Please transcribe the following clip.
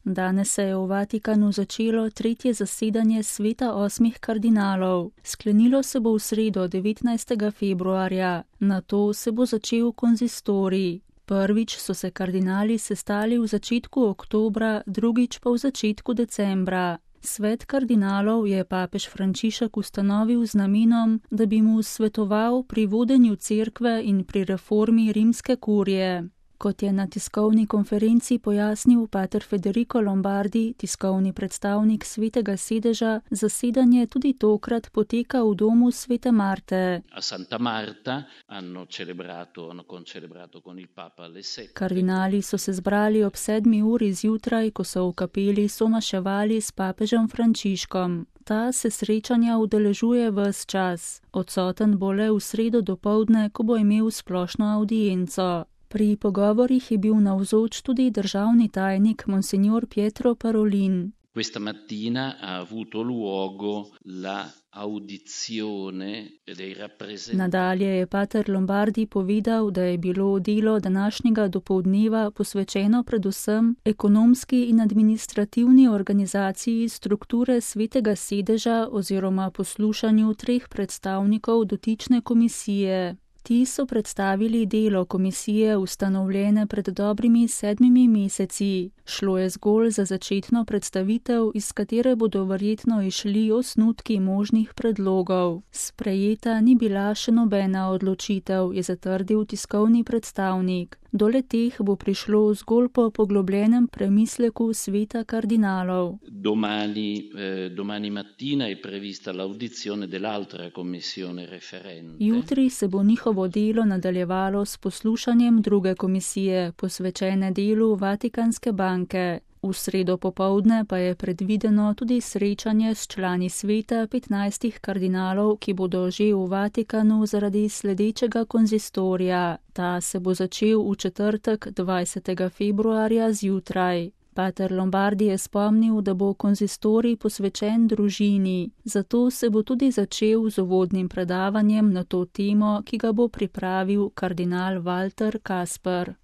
Danes se je v Vatikanu začelo tretje zasedanje sveta 8 kardinalov. Sklenilo se bo v sredo 19. februarja, nato se bo začel konzistorij. Prvič so se kardinali sestali v začetku oktobra, drugič pa v začetku decembra. Svet kardinalov je papež Frančišek ustanovil z namenom, da bi mu svetoval pri vodenju cerkve in pri reformi rimske kurije. Kot je na tiskovni konferenci pojasnil pater Federico Lombardi, tiskovni predstavnik Svetega sedeža, zasedanje tudi tokrat poteka v domu Svete Marte. Kardinali so se zbrali ob 7. uri zjutraj, ko so v kapeli somaševali s papežem Frančiškom. Ta se srečanja udeležuje ves čas. Odsoten bo le v sredo dopoldne, ko bo imel splošno avdienco. Pri pogovorih je bil navzoč tudi državni tajnik monsignor Pietro Parolin. Questa mattina ha avuto luogo la audizione dei rappresentanti. Nadalje je pater Lombardi povedal, da je bilo delo današnjega dopoldneva posvečeno predvsem ekonomski in administrativni organizaciji strukture Svetega sedeža oziroma poslušanju 3 predstavnikov dotične komisije. Ti so predstavili delo komisije ustanovljene pred dobrimi 7 meseci. Šlo je zgolj za začetno predstavitev, iz katere bodo verjetno išli osnutki možnih predlogov. Sprejeta ni bila še nobena odločitev, je zatrdil tiskovni predstavnik. Do le-teh bo prišlo zgolj po poglobljenem premisleku sveta kardinalov. Domani mattina è prevista l'audizione dell'altra commissione referente. Jutri se bo njihovo delo nadaljevalo s poslušanjem druge komisije, posvečene delu Vatikanske banke. V sredo popoldne pa je predvideno tudi srečanje s člani sveta 15 kardinalov, ki bodo že v Vatikanu zaradi sledečega konzistorija. Ta se bo začel v četrtek 20. februarja zjutraj. Pater Lombardi je spomnil, da bo konzistorij posvečen družini, zato se bo tudi začel z uvodnim predavanjem na to temo, ki ga bo pripravil kardinal Walter Kasper.